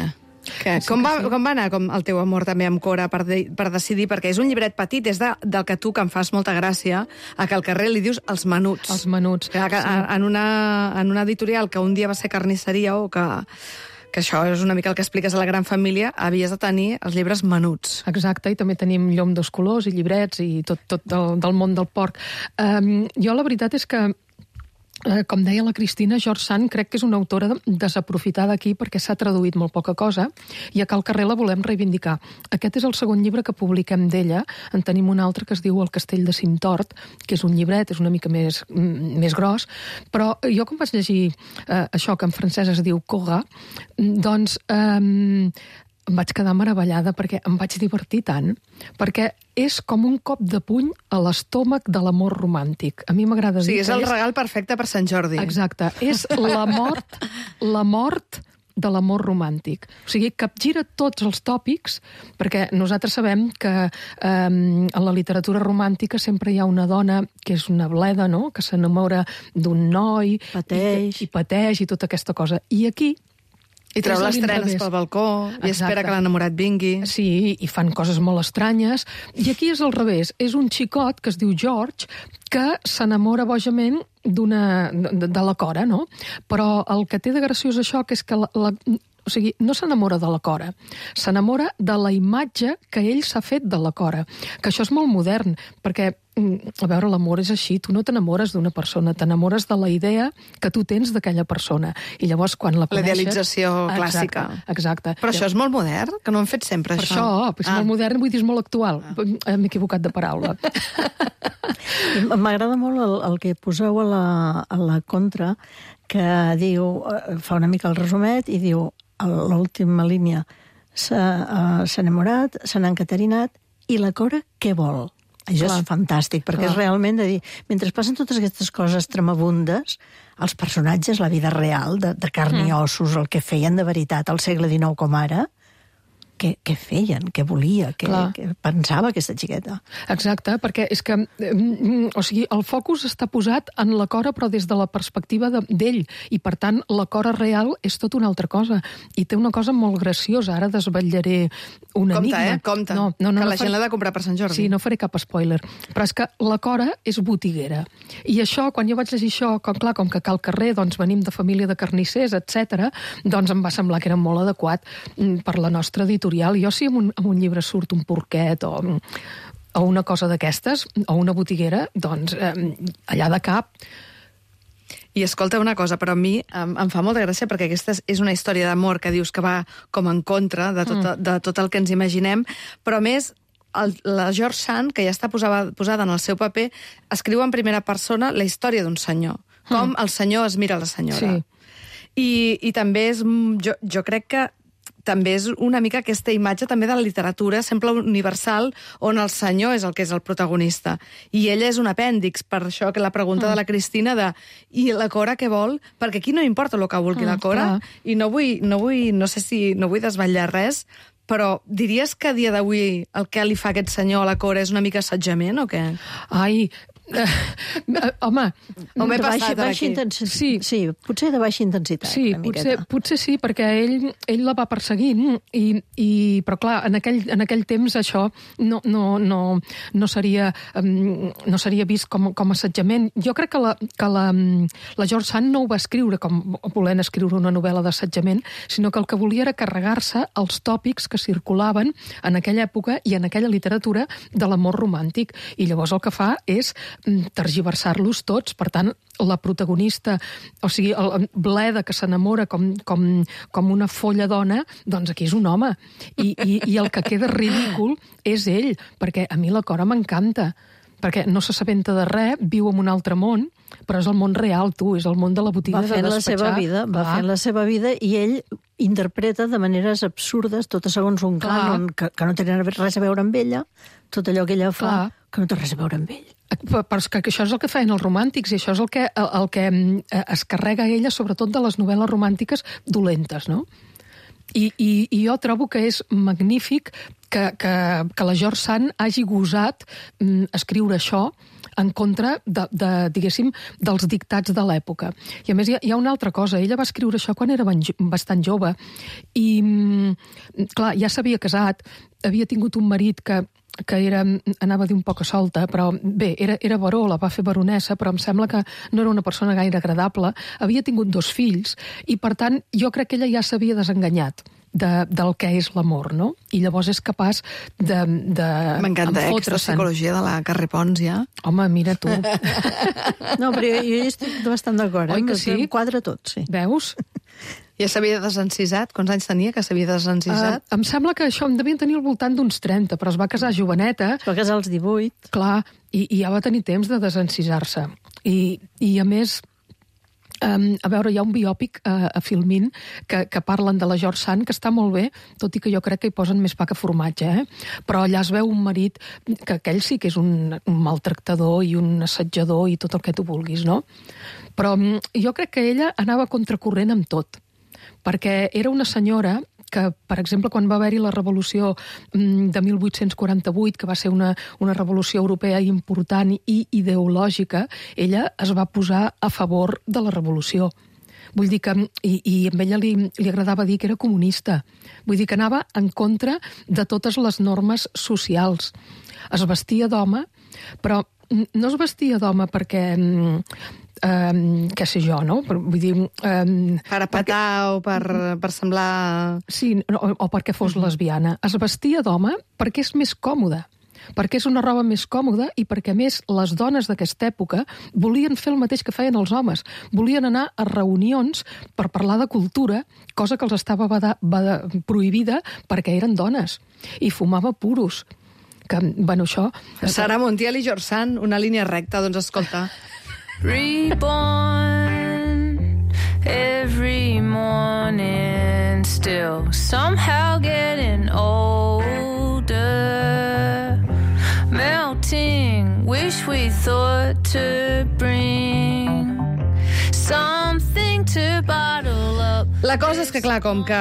Com va anar el teu amor també amb Cora per decidir? Perquè és un llibret petit, és del que tu, que em fas molta gràcia, a Cal Carrer li dius Els Menuts. Els Menuts. En una editorial que un dia va ser carnisseria o que això és una mica el que expliques a la gran família, havies de tenir els llibres menuts. Exacte, i també tenim Llom dos colors i llibrets i tot del món del porc. Jo la veritat és que, com deia la Cristina, George Sand crec que és una autora desaprofitada aquí perquè s'ha traduït molt poca cosa i a Cal Carrer la volem reivindicar. Aquest és el segon llibre que publiquem d'ella. En tenim un altre que es diu El castell de Cintort, que és un llibret, és una mica més gros, però jo com vaig llegir això que en francès es diu Cora, doncs em vaig quedar meravellada perquè em vaig divertir tant, perquè és com un cop de puny a l'estómac de l'amor romàntic. A mi m'agrada dir... Sí, és el regal perfecte per Sant Jordi. Exacte. És la mort de l'amor romàntic. O sigui, capgira tots els tòpics, perquè nosaltres sabem que en la literatura romàntica sempre hi ha una dona que és una bleda, no?, que s'enamora d'un noi... Pateix. I pateix i tota aquesta cosa. I aquí... I treu les trenes pel balcó, i espera que l'enamorat vingui. Sí, i fan coses molt estranyes. I aquí és al revés. És un xicot que es diu George que s'enamora bojament de la Cora, no? Però el que té de graciós això que és que o sigui, no s'enamora de la Cora, s'enamora de la imatge que ell s'ha fet de la Cora. Que això és molt modern, perquè, a veure, l'amor és així, tu no t'enamores d'una persona, t'enamores de la idea que tu tens d'aquella persona. I llavors, quan la coneixes... La idealització clàssica. Exacte. Però això és molt modern, que no hem fet sempre, això. Per això, és molt modern, vull dir, és molt actual. M'he equivocat de paraula. M'agrada molt el que poseu a la contra, que diu, fa una mica el resumet, i diu, a l'última línia, s'ha enamorat, se n'ha encaterinat, i la Cora què vol? Això és fantàstic, perquè és realment de dir, mentre passen totes aquestes coses tremabundes, els personatges, la vida real, de carn i ossos, el que feien de veritat al segle XIX com ara, què feien, què volia, què pensava aquesta xiqueta. Exacte, perquè és que o sigui, el focus està posat en la Cora, però des de la perspectiva d'ell, i per tant la Cora real és tot una altra cosa, i té una cosa molt graciosa, ara desvetllaré un enigma. Compte, que la gent l'ha de comprar per Sant Jordi. Sí, no faré cap spoiler, però és que la Cora és botiguera, i això, quan jo vaig llegir això, com que Cal Carrer, doncs venim de família de carnissers, etc., doncs em va semblar que era molt adequat per la nostra editorial. Jo si en un llibre surt un porquet o una cosa d'aquestes, o una botiguera, doncs allà de cap. I escolta una cosa, però a mi em fa molta gràcia perquè aquesta és una història d'amor que dius que va com en contra de tot el que ens imaginem, però a més la George Sand, que ja està posada en el seu paper, escriu en primera persona la història d'un senyor, com el senyor es mira la senyora. Sí. I també és, jo crec que també és una mica aquesta imatge també de la literatura, sempre universal, on el senyor és el protagonista. I ella és un apèndix, per això que la pregunta de la Cristina i la Cora què vol? Perquè aquí no importa el que vulgui la Cora, i no vull desvetllar res, però diries que a dia d'avui el que li fa aquest senyor a la Cora és una mica assetjament o què? Ai... home, o m'he passat aquí? Sí, potser de baixa intensitat. Sí, potser sí, perquè ell la va perseguint, però clar, en aquell temps això no seria vist com assetjament. Jo crec que la George Sand no ho va escriure com volent escriure una novel·la d'assetjament, sinó que el que volia era carregar-se els tòpics que circulaven en aquella època i en aquella literatura de l'amor romàntic. I llavors el que fa és tergiversar-los tots. Per tant, la protagonista, o sigui, el bleda que s'enamora com una folla dona, doncs aquí és un home. I el que queda ridícul és ell, perquè a mi la Cora m'encanta. perquè no s'assabenta de res, viu en un altre món, però és el món real, tu, és el món de la botiga de despatxar. Va fent la seva vida i ell interpreta de maneres absurdes, totes segons un cànon que no té res a veure amb ella, tot allò que ella fa, que no té res a veure amb ell. Però és que això és el que feien els romàntics i això és el que es carrega ella, sobretot de les novel·les romàntiques dolentes, no? I jo trobo que és magnífic que la George Sand hagi gosat escriure això en contra diguéssim, dels dictats de l'època. I a més hi ha una altra cosa, ella va escriure això quan era bastant jove i, clar, ja s'havia casat, havia tingut un marit que anava a dir un poc a solta, però bé, era baró, la va fer baronessa, però em sembla que no era una persona gaire agradable, havia tingut 2 fills, i per tant jo crec que ella ja s'havia desenganyat del que és l'amor, no? I llavors és capaç de m'encanta, aquesta psicologia de la Carrer Pons, ja. Home, mira tu. No, però jo hi estic bastant d'acord, Oi que sí? Em quadra tot, sí. Veus? Ja s'havia desencisat? Quants anys tenia que s'havia desencisat? Em sembla que això em devien tenir al voltant d'uns 30, però es va casar joveneta. Es va casar als 18. Clar, i ja va tenir temps de desencisar-se. I a més, a veure, hi ha un biòpic a Filmin que parlen de la George Sand, que està molt bé, tot i que jo crec que hi posen més pa que formatge, però allà es veu un marit que aquell sí que és un maltractador i un assetjador i tot el que tu vulguis, no? Però jo crec que ella anava contracorrent amb tot, perquè era una senyora que, per exemple, quan va haver-hi la revolució de 1848, que va ser una revolució europea important i ideològica, ella es va posar a favor de la revolució. Vull dir que, i a ella li agradava dir que era comunista. Vull dir que anava en contra de totes les normes socials. Es vestia d'home, però no es vestia d'home perquè... què sé jo, no? Vull dir... per apatar o per semblar... Sí, o perquè fos lesbiana. Es vestia d'home perquè és més còmode, perquè és una roba més còmoda i perquè, a més, les dones d'aquesta època volien fer el mateix que feien els homes. Volien anar a reunions per parlar de cultura, cosa que els estava prohibida perquè eren dones. I fumava puros. Que, bueno, això... Sara Montiel i George Sand, una línia recta, doncs escolta... Reborn every morning, still somehow getting older, melting, wish we thought to bring something to bottle up. La cosa és que, clar, com que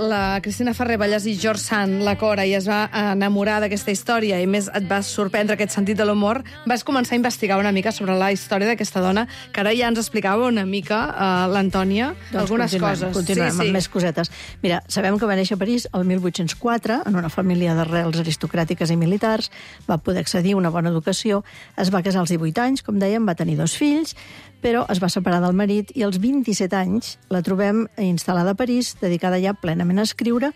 la Cristina Ferrer Vallès i George Sand, la Cora, i es va enamorar d'aquesta història i més et va sorprendre aquest sentit de l'humor, vas començar a investigar una mica sobre la història d'aquesta dona, que ara ja ens explicava una mica l'Antònia, doncs algunes coses. Continuem amb més cosetes. Mira, sabem que va néixer a París el 1804, en una família d'arrels aristocràtiques i militars, va poder accedir a una bona educació, es va casar als 18 anys, com dèiem, va tenir 2 fills, però es va separar del marit i als 27 anys la trobem instal·lada a París, dedicada ja plenament a escriure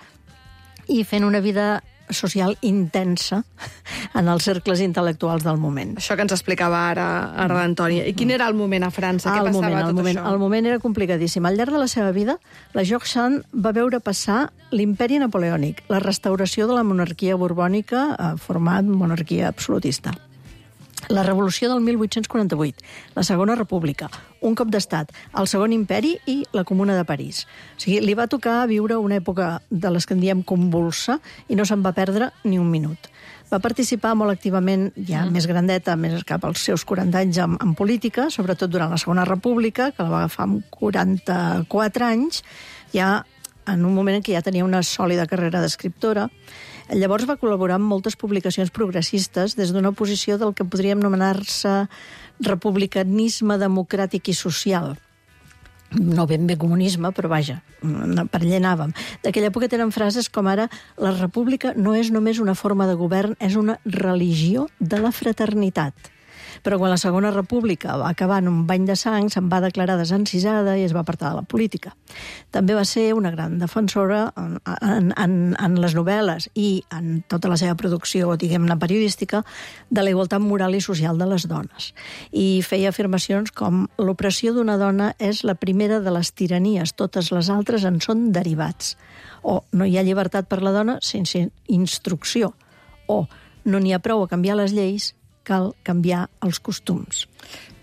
i fent una vida social intensa en els cercles intel·lectuals del moment. Això que ens explicava ara l'Antònia. I quin era el moment a França? Què passava tot això? El moment era complicadíssim. Al llarg de la seva vida, la George Sand va veure passar l'imperi napoleònic, la restauració de la monarquia borbònica, format monarquia absolutista. La revolució del 1848, la Segona República, un cop d'estat, el Segon Imperi i la Comuna de París. O sigui, li va tocar viure una època de les que en diem convulsa i no se'n va perdre ni un minut. Va participar molt activament, ja més grandeta, més cap als seus 40 anys en política, sobretot durant la Segona República, que la va agafar amb 44 anys, ja en un moment en què ja tenia una sòlida carrera d'escriptora. Llavors va col·laborar amb moltes publicacions progressistes des d'una posició del que podríem anomenar-se republicanisme democràtic i social. No ben bé comunisme, però vaja, per allà anàvem. D'aquella època tenen frases com ara la república no és només una forma de govern, és una religió de la fraternitat. Però quan la Segona República va acabar en un bany de sang, se'n va declarar desencisada i es va apartar de la política. També va ser una gran defensora en les novel·les i en tota la seva producció, diguem-ne, periodística, de la igualtat moral i social de les dones. I feia afirmacions com l'opressió d'una dona és la primera de les tiranies, totes les altres en són derivats. O no hi ha llibertat per la dona sense instrucció. O no n'hi ha prou a canviar les lleis, cal canviar els costums.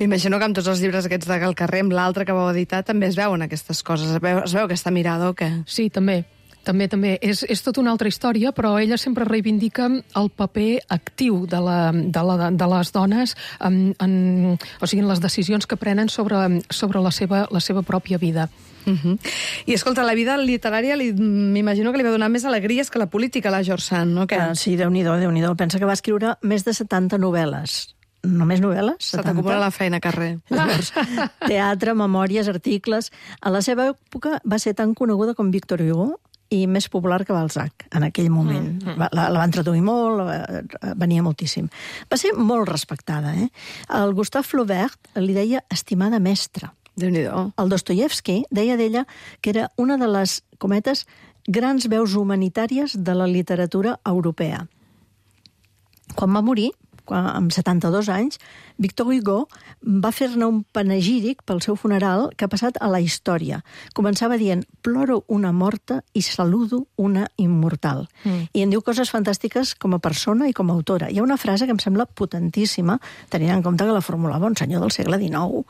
M'imagino que amb tots els llibres aquests de Gal Carrer, amb l'altre que vau editar, també es veuen aquestes coses. Es veu aquesta mirada o què? Sí, també. També. És tota una altra història, però ella sempre reivindica el paper actiu de les dones en les decisions que prenen sobre la seva pròpia vida. I escolta, la vida literària m'imagino que li va donar més alegries que la política a la George Sand, no? Sí, Déu-n'hi-do. Pensa que va escriure més de 70 novel·les. Només novel·les? Se t'acumula la feina, Carrer. Llavors, teatre, memòries, articles... A la seva època va ser tan coneguda com Victor Hugo i més popular que Balzac, en aquell moment. La van traduir molt, venia moltíssim. Va ser molt respectada, eh? El Gustave Flaubert li deia estimada mestra. Déu-n'hi-do. El Dostoievski deia d'ella que era una de les, cometes, grans veus humanitàries de la literatura europea. Quan va morir, amb 72 anys, Victor Hugo va fer-ne un panegíric pel seu funeral que ha passat a la història. Començava dient, ploro una morta i saludo una immortal. I en diu coses fantàstiques com a persona i com a autora. Hi ha una frase que em sembla potentíssima, tenint en compte que la formulava un senyor del segle XIX,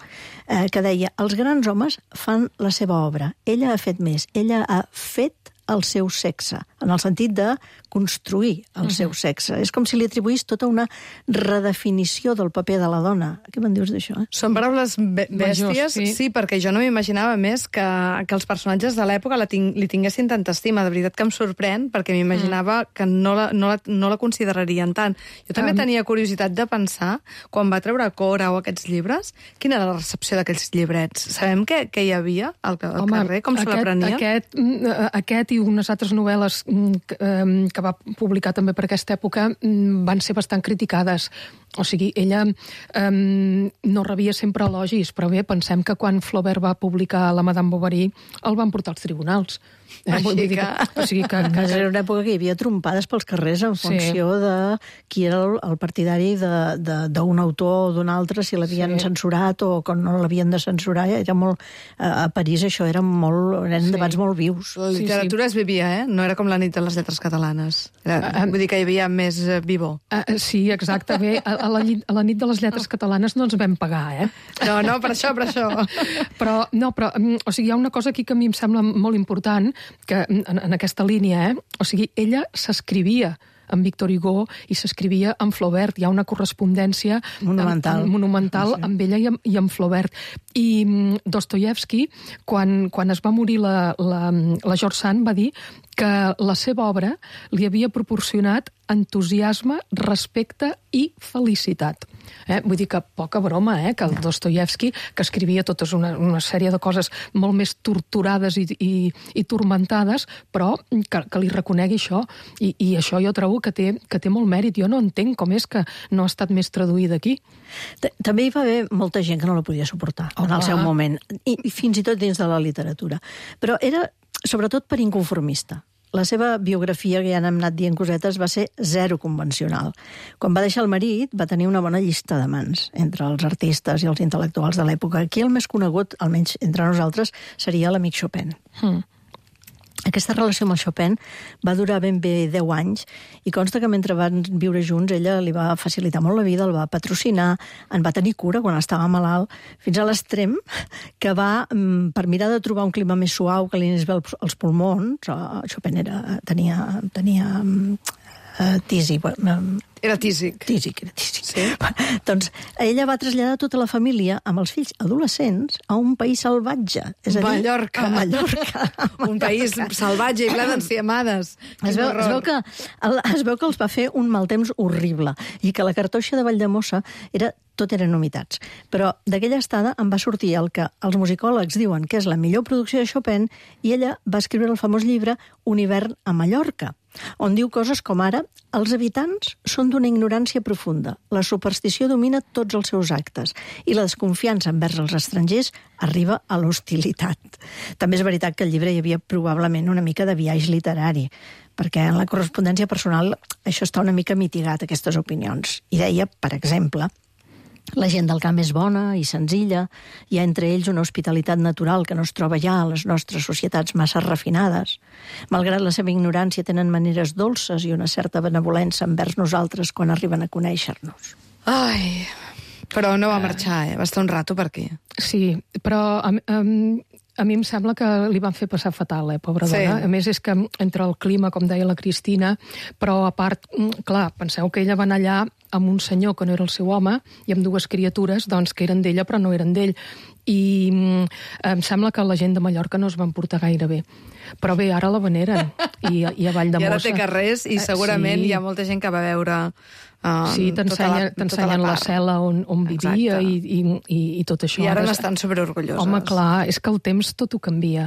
que deia, els grans homes fan la seva obra. Ella ha fet més. Ella ha fet el seu sexe, en el sentit de construir el seu sexe. És com si li atribuís tota una redefinició del paper de la dona. Què me'n dius d'això? Són paraules bèsties, sí, perquè jo no m'imaginava més que els personatges de l'època li tinguessin tanta estima. De veritat que em sorprèn, perquè m'imaginava que no la considerarien tant. Jo també tenia curiositat de pensar, quan va treure Cora o aquests llibres, quina era la recepció d'aquells llibrets? Sabem què hi havia al carrer? Com se l'aprenia? Aquest i unes altres novel·les que va publicar també per aquesta època van ser bastant criticades. O sigui, ella no rebia sempre elogis, però bé, pensem que quan Flaubert va publicar la Madame Bovary el van portar als tribunals. O sigui que era una època que hi havia trompades pels carrers en funció de qui era el partidari d'un autor o d'un altre, si l'havien censurat o quan no l'havien de censurar. Era molt, a París això eren debats molt vius. La literatura es vivia, no era com la nit de les lletres catalanes. Vull dir que hi havia més vivor. Sí, exacte. Bé, a la nit de les lletres catalanes no ens vam pagar, No, per això. Però, o sigui, hi ha una cosa aquí que a mi em sembla molt important, que en aquesta línia, o sigui, ella s'escrivia amb Victor Hugo i s'escrivia amb Flaubert. Hi ha una correspondència monumental amb ella i amb Flaubert. I Dostoievski, quan es va morir la George Sand, va dir que la seva obra li havia proporcionat entusiasme, respecte i felicitat. Vull dir que poca broma, que el Dostoievski, que escrivia totes una sèrie de coses molt més torturades i turmentades, però que li reconegui això. I això jo trobo que té molt mèrit. Jo no entenc com és que no ha estat més traduïda aquí. També hi va haver molta gent que no la podia suportar en el seu moment, i fins i tot dins de la literatura. Però era sobretot per inconformista. La seva biografia, que ja n'hem anat dient cosetes, va ser zero convencional. Quan va deixar el marit, va tenir una bona llista d'amants entre els artistes i els intel·lectuals de l'època. Aquí el més conegut, almenys entre nosaltres, seria l'amic Chopin. Aquesta relació amb el Chopin va durar ben bé 10 anys i consta que mentre van viure junts ella li va facilitar molt la vida, el va patrocinar, en va tenir cura quan estava malalt, fins a l'extrem que va, per mirar de trobar un clima més suau que li anés bé als pulmons, Chopin tenia tisi, Era tísic. Sí. Doncs ella va traslladar tota la família amb els fills adolescents a un país salvatge. És a dir, Mallorca. Un país salvatge i ple d'enciamades. Es veu que els va fer un mal temps horrible i que la cartoixa de Valldemossa tot eren humitats. Però d'aquella estada en va sortir el que els musicòlegs diuen que és la millor producció de Chopin i ella va escriure el famós llibre Un hivern a Mallorca, on diu coses com ara: els habitants són d'una ignorància profunda, la superstició domina tots els seus actes i la desconfiança envers els estrangers arriba a l'hostilitat. També és veritat que al llibre hi havia probablement una mica de biaix literari, perquè en la correspondència personal això està una mica mitigat, aquestes opinions. I deia, per exemple, la gent del camp és bona i senzilla, hi ha entre ells una hospitalitat natural que no es troba ja a les nostres societats massa refinades. Malgrat la seva ignorància tenen maneres dolces i una certa benevolència envers nosaltres quan arriben a conèixer-nos. Ai, però no va marxar, va estar un rato per aquí. Sí, però a mi em sembla que li van fer passar fatal, pobra dona. Sí. A més, és que entre el clima, com deia la Cristina, però a part, clar, penseu que ella va anar allà amb un senyor que no era el seu home i amb dues criatures, doncs, que eren d'ella però no eren d'ell. I em sembla que la gent de Mallorca no es van portar gaire bé. Però bé, ara la veneren, i a Valldemossa. I ara té carrers, i segurament hi ha molta gent que va veure... Sí, t'ensenyen la cel·la on vivia i tot això. I ara n'estan superorgulloses. Home, clar, és que el temps tot ho canvia.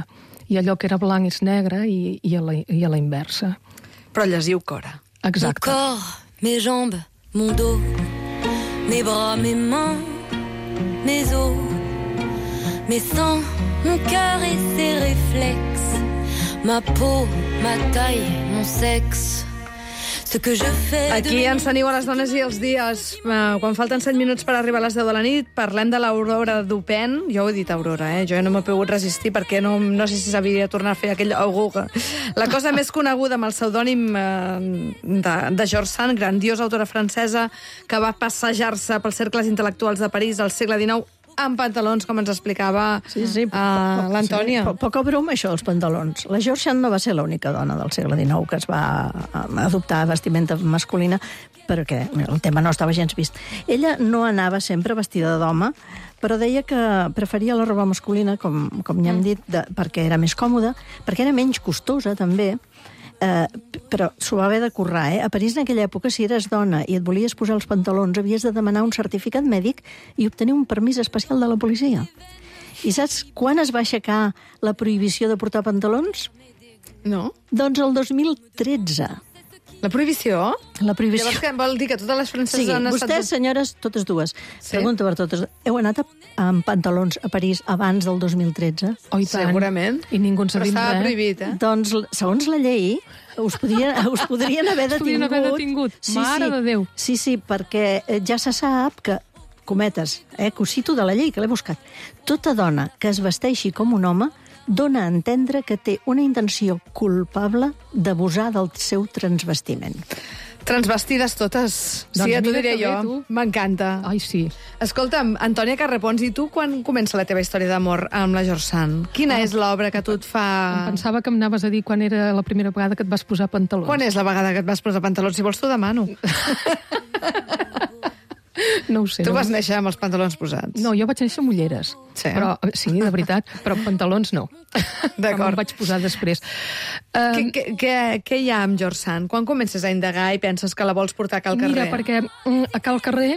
I allò que era blanc és negre i a la inversa. Però llegiu Cora. Exacte. Mon corps, mes jambes, mon dos, mes bras, mes mains, mes os, mes sangs, mon cœur et ses réflexes, ma peau, ma taille, mon sexe. Aquí ens teniu a les dones i els dies. Quan falten 7 minuts per arribar a les 10 de la nit, parlem de l'Aurora Dupin. Jo ho he dit Aurora, jo no m'he pogut resistir perquè no sé si sabia tornar a fer aquell Auguga. La cosa més coneguda amb el pseudònim de George Sand, grandiosa autora francesa que va passejar-se pels cercles intel·lectuals de París al segle XIX amb pantalons, com ens explicava l'Antònia. Poca broma, això, els pantalons. La George Sand no va ser l'única dona del segle XIX que es va adoptar vestimenta masculina, perquè el tema no estava gens vist. Ella no anava sempre vestida d'home, però deia que preferia la roba masculina, com ja hem dit, perquè era més còmoda, perquè era menys costosa, també, però s'ho va haver de currar, A París, en aquella època, si eres dona i et volies posar els pantalons, havies de demanar un certificat mèdic i obtenir un permís especial de la policia. I saps quan es va aixecar la prohibició de portar pantalons? No. Doncs el 2013. La prohibició? La prohibició. Llavors, què vol dir? Que totes les franceses han estat... Vostès, senyores, totes dues, pregunta per totes, heu anat amb pantalons a París abans del 2013? Oh, i tant. Segurament. I ningú en sabia res. Però estava prohibit, Doncs, segons la llei, us podrien haver detingut. Mare de Déu. Sí, perquè ja se sap que, cometes, que ho cito de la llei, que l'he buscat, tota dona que es vesteixi com un home dona a entendre que té una intenció culpable d'abusar del seu transvestiment. Transvestides totes. Sí, ja t'ho diré jo. M'encanta. Ai, sí. Escolta'm, Antònia Carrepons, i tu quan comença la teva història d'amor amb la George Sand? Quina és l'obra que tu et fa... Em pensava que em anaves a dir quan era la primera vegada que et vas posar pantalons. Quan és la vegada que et vas posar pantalons? Si vols t'ho demano. No ho sé. Tu vas néixer amb els pantalons posats. No, jo vaig néixer amb ulleres. Sí? Però, sí, de veritat, però pantalons no. D'acord. Em vaig posar després. Què hi ha amb George Sand? Quan comences a indagar i penses que la vols portar a Cal Carrer? Mira, perquè a Cal Carrer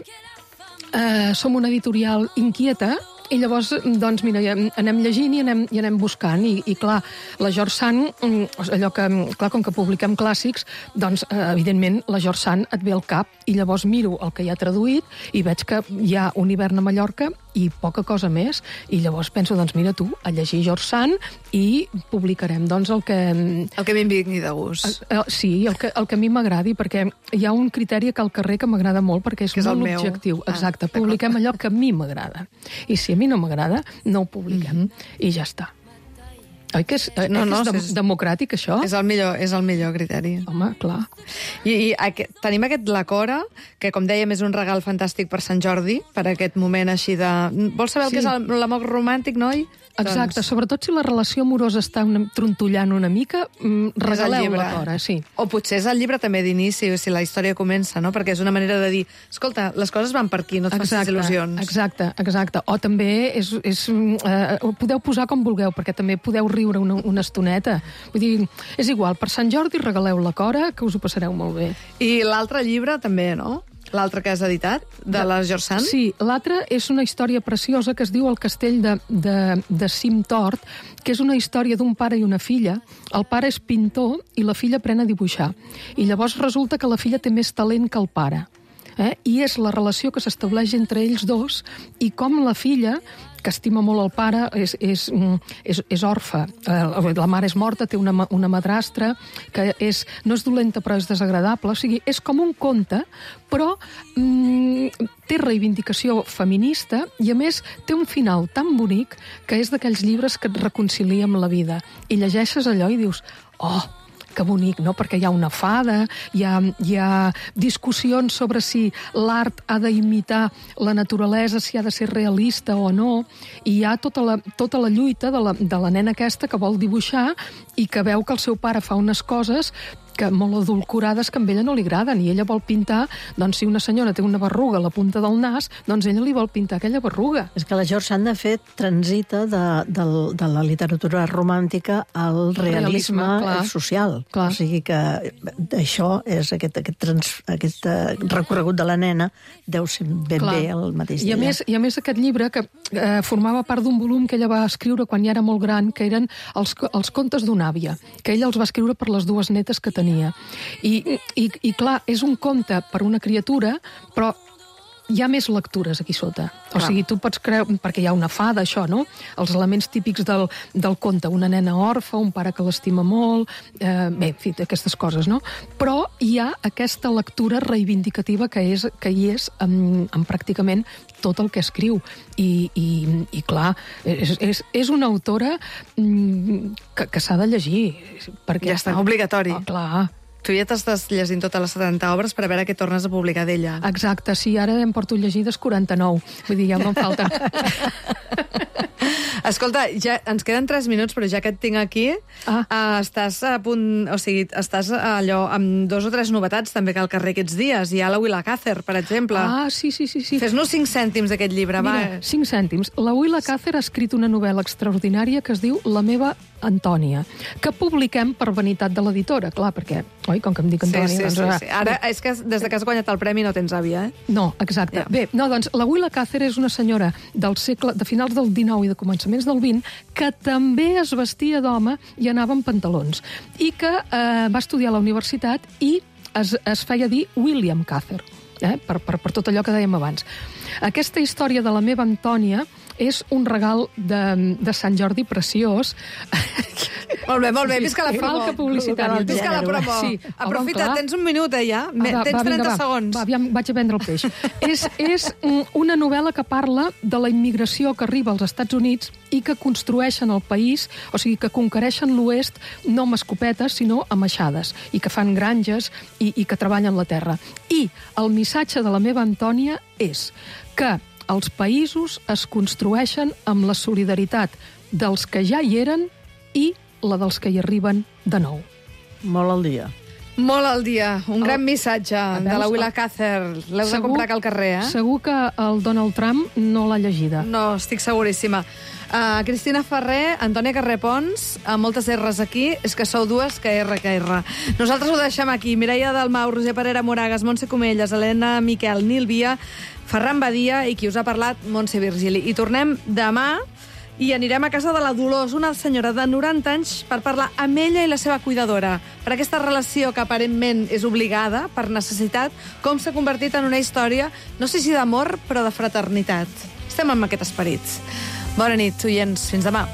som una editorial inquieta i llavors, doncs, mira, anem llegint i anem buscant. I clar, la George Sand, allò que, clar, com que publiquem clàssics, doncs, evidentment, la George Sand et ve al cap i llavors miro el que hi ha traduït i veig que hi ha un hivern a Mallorca i poca cosa més. I llavors penso, doncs, mira tu, a llegir George Sand i publicarem, doncs, el que... El que em vingui de gust. Sí, el que a mi m'agradi, perquè hi ha un criteri a Cal Carrer que m'agrada molt, perquè és molt objectiu. Exacte, publiquem allò que a mi m'agrada. I si a mi no m'agrada, no ho publiquem. I ja està. Oi que és democràtic, això? És el millor criteri. Home, clar. I tenim aquest La Cora, que, com dèiem, és un regal fantàstic per Sant Jordi, per aquest moment així de... Vols saber el que és l'amor romàntic, noi? Exacte, sobretot si la relació amorosa està trontollant una mica, regaleu La Cora, sí. O potser és el llibre també d'inici, si la història comença, no? Perquè és una manera de dir, escolta, les coses van per aquí, no et facis il·lusions. Exacte. O també ho podeu posar com vulgueu, perquè també podeu riure una estoneta. Vull dir, és igual, per Sant Jordi regaleu La Cora, que us ho passareu molt bé. I l'altre llibre també, no? L'altre que has editat, de la George Sand? Sí, l'altre és una història preciosa que es diu El castell de Cim Tort, que és una història d'un pare i una filla. El pare és pintor i la filla aprèn a dibuixar. I llavors resulta que la filla té més talent que el pare. I és la relació que s'estableix entre ells dos i com la filla, que estima molt el pare, és orfa. La mare és morta, té una madrastra que no és dolenta però és desagradable. O sigui, és com un conte, però té reivindicació feminista i, a més, té un final tan bonic que és d'aquells llibres que et reconcilia amb la vida. I llegeixes allò i dius, oh, que bonic, no? Perquè hi ha una fada, hi ha discussions sobre si l'art ha d'imitar la naturalesa, si ha de ser realista o no, i hi ha tota la lluita de la nena aquesta que vol dibuixar i que veu que el seu pare fa unes coses que molt adulcorades que a ella no li agraden, i ella vol pintar, doncs si una senyora té una berruga a la punta del nas, doncs ella li vol pintar aquella berruga. És que la George Sand, de fet, transita de la literatura romàntica al realisme social. Clar. O sigui que això és aquest recorregut de la nena deu ser ben bé el mateix I a més aquest llibre, que formava part d'un volum que ella va escriure quan ja era molt gran, que eren els contes d'una àvia, que ella els va escriure per les dues netes que tenia. I clar, és un conte per una criatura, però hi ha més lectures aquí sota. O sigui, tu pots creure, perquè hi ha una fada, això, no? Els elements típics del conte, una nena orfa, un pare que l'estima molt, bé, en fi, aquestes coses, no? Però hi ha aquesta lectura reivindicativa que hi és en pràcticament tot el que escriu. I clar, és una autora que s'ha de llegir. Ja està, obligatori. Clar. Tu ja t'estàs llegint totes les 70 obres per a veure què tornes a publicar d'ella. Exacte, sí, ara em porto llegides 49. Vull dir, ja me'n falten. Escolta, ja ens queden 3 minuts, però ja que et tinc aquí, estàs a punt... O sigui, estàs allò amb 2 o 3 novetats també que al carrer aquests dies. Hi ha la Willa Cather, per exemple. Sí. Fes-nos 5 cèntims d'aquest llibre, va. Mira, 5 cèntims. La Willa Cather ha escrit una novel·la extraordinària que es diu La meva Antònia, que publiquem per vanitat de l'editora, clar, perquè, oi, com que em dic Antònia... Sí. Ara, és que des que has guanyat el premi no tens àvia, eh? No, exacte. Bé, doncs, la Willa Cather és una senyora de finals del XIX i de començaments del XX que també es vestia d'home i anava amb pantalons, i que va estudiar a la universitat i es feia dir William Cather, per tot allò que dèiem abans. Aquesta història de la meva Antònia és un regal de Sant Jordi preciós. Molt bé, visca la promo. Falca publicitària. Visca la promo. Sí. Aprofita, tens un minut, ja. Tens 30 segons. Va, vaig a vendre el peix. És una novel·la que parla de la immigració que arriba als Estats Units i que construeixen el país, o sigui, que conquereixen l'oest no amb escopetes, sinó amb aixades, i que fan granges i que treballen la terra. I el missatge de la meva Antònia és que els països es construeixen amb la solidaritat dels que ja hi eren i la dels que hi arriben de nou. Molt al dia. Molt al dia. Un gran missatge de la Willa Cather. L'heu de comprar al carrer, eh? Segur que el Donald Trump no l'ha llegida. No, estic seguríssima. Cristina Ferrer, Antònia Carré Pons, moltes R's aquí, és que sou dues que R. Nosaltres ho deixem aquí. Mireia Dalmau, Roser Parera Moragas, Montse Comelles, Helena Miquel, Nil Via, Ferran Badia i qui us ha parlat, Montse Virgili. I tornem demà i anirem a casa de la Dolors, una senyora de 90 anys, per parlar amb ella i la seva cuidadora. Per aquesta relació que aparentment és obligada, per necessitat, com s'ha convertit en una història, no sé si d'amor, però de fraternitat. Estem amb aquest esperit. Bona nit, oients. Fins demà.